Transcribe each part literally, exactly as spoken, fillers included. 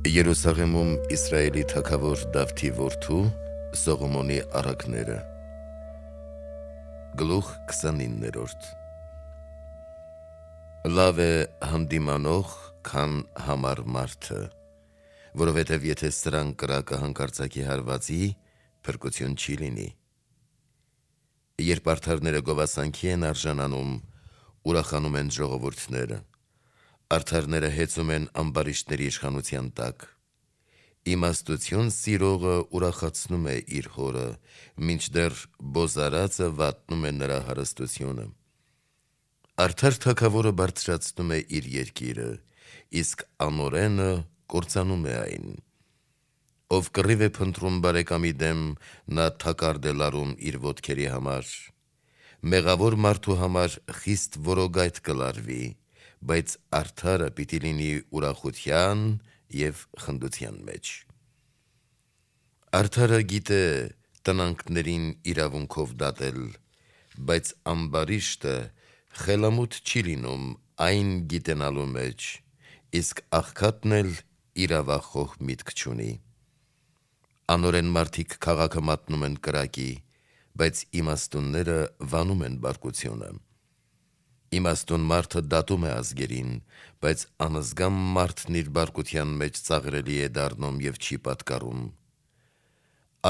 Երուսաղեմում Իսրայելի թագավոր Դավթի որդու Սողոմոնի առակները։ Գլուխ քսանիններորդ Լավ է հանդիմանող, քան համար մարդը, որովհետև եթե սրան կրակը հանկարծակի հարվածի, փրկություն չի լինի։ Երբ արդարները գովասանքի են արժանանում, ուրախանում են ժողովուրդները, արդարները հեծում են ամբարիշտների իշխանության տակ։ Իմաստություն սիրողը ուրախացնում է իր հորը, մինչդեռ բոզարածը վատնում է նրա հարստությունը։ Արդար թագավորը բարձրացնում է իր երկիրը, իսկ անօրենը կործանում է այն։ Ով կռիվ է փնտրում բարեկամի դեմ, նա թակարդ է լարում իր ոտքերի համար։ Մեղավոր մարդու համար խիստ որոգայթ կլարվի, բայց արդարը պիտի լինի ուրախության և խնդության մեջ։ Արդարը գիտե տնանքներին իրավունքով դատել, բայց ամբարիշտը խելամուտ չի լինում այն գիտենալու մեջ, իսկ աղքատն էլ իրավախոհ միտք չունի։ Անօրեն մարդիկ քաղաքը մատնում են կրակի, բայց իմաստունները վանում են բարկությունը։ Իմաստուն մարդը դատում է ազգերին, բայց անզգամ մարդն իր բարկության մեջ ծաղրելի է դառնում և չի պատկառում։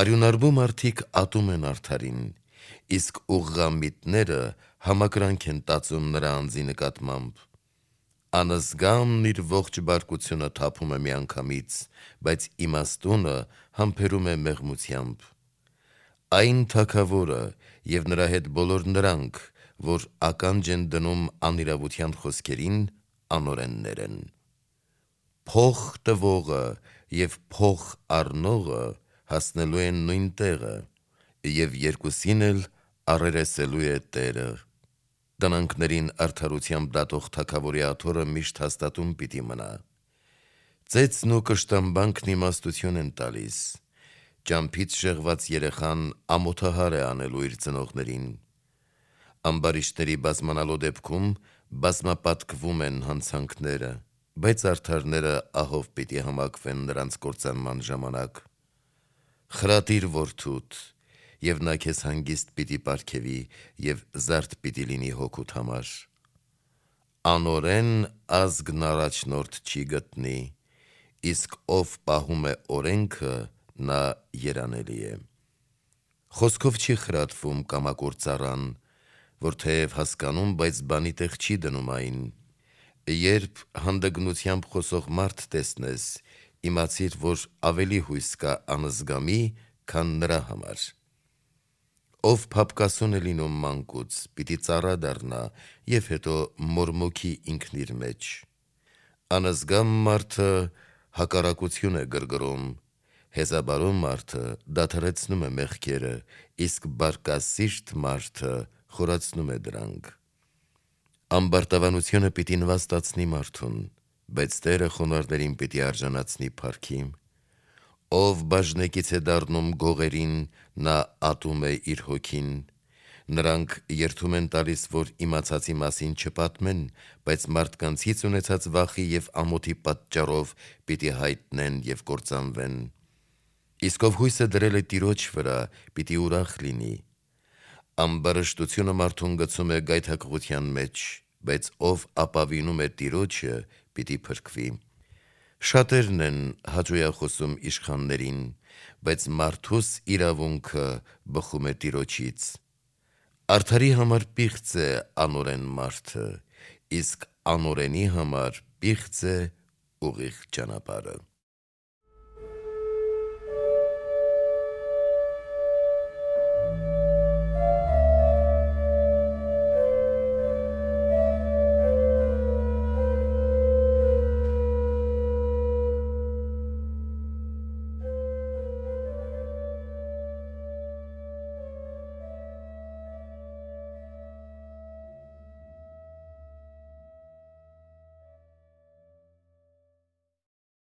Արյունարբու մարդիկ ատում են արդարին, իսկ ուղղամիտները համակրանք են տածում նրա անձի նկատմամբ։ Անզգամն իր ողջ բարկությունը թափում է միանգամից, բայց իմաստունը համբերում է մեղմությամբ։ Այն թագավորը և նրա հետ բոլոր նրանք, որ ականջ են դնում անիրավության խոսքերին, անօրեններ են։ Փող տվողը և փող առնողը հասնելու են նույն տեղը, և երկուսին էլ առերեսելու է Տերը։ Տնանքներին արդարությամբ դատող թագավորի աթոռը միշտ հաստատուն պիտի մնա։ Ծեծն ու կշտամբանքն իմաստություն են տալիս։ Ճամփից շեղված երեխան ամոթահար է անելու իր ծնողներին։ Ամբարիշտների բազմանալու դեպքում բազմապատկվում են հանցանքները, բայց արդարները ահով պիտի համակվեն նրանց կործանման ժամանակ։ Խրատիր որդուդ, և նա քեզ հանգիստ պիտի պարգևի և զարդ պիտի լինի հոգուդ համար։ Անօրեն ազգն առաջնորդ չի գտնի, իսկ ով պահում է օրենքը, նա երանելի է։ Խոսքով չի խրատվում կամակոր ծառան, որ թեև հասկանում, բայց բանի տեղ չի դնում այն։ Երբ հանդգնությամբ խոսող մարդ տեսնես, իմացիր, որ ավելի հույս կա անզգամի, քան նրա համար։ Ով փափկասուն է լինում մանկուց, պիտի ծառա դառնա և հետո մորմոքի ինքն իր մեջ։ Անզգամ մարդը հակառակություն է գրգռում, հեզաբարում մարդը դադարեցնում է մեղքերը, իսկ բարկասիրտ մարդը խորացնում է դրանք։ Ամբարտավանությունը պիտի նվաստացնի մարդուն, բայց Տերը խոնարհներին պիտի արժանացնի փառքի։ Ով բաժնեկից է դառնում գողերին, նա ատում է իր հոգին։ Նրանք երդում են տալիս, որ իմացածի մասին չպատմեն, բայց մարդկանցից ունեցած վախի և ամոթի պատճառով պիտի հայտնեն և կործանվեն։ Իսկ ով հույսը դրել է Տիրոջ վրա, պիտի ուրախ լինի։ Ամբարշտությունը մարդուն գցում է գայթակղության մեջ, բայց ով ապավինում է Տիրոջը, պիտի փրկվի։ Շատերն են հաճոյախոսում իշխաններին, բայց մարդուս իրավունքը բխում է Տիրոջից։ Արդարի համար պիղծ է անօրեն մարդը, իսկ անօրենի համար պիղծ է ուղիղ ճանապարհը։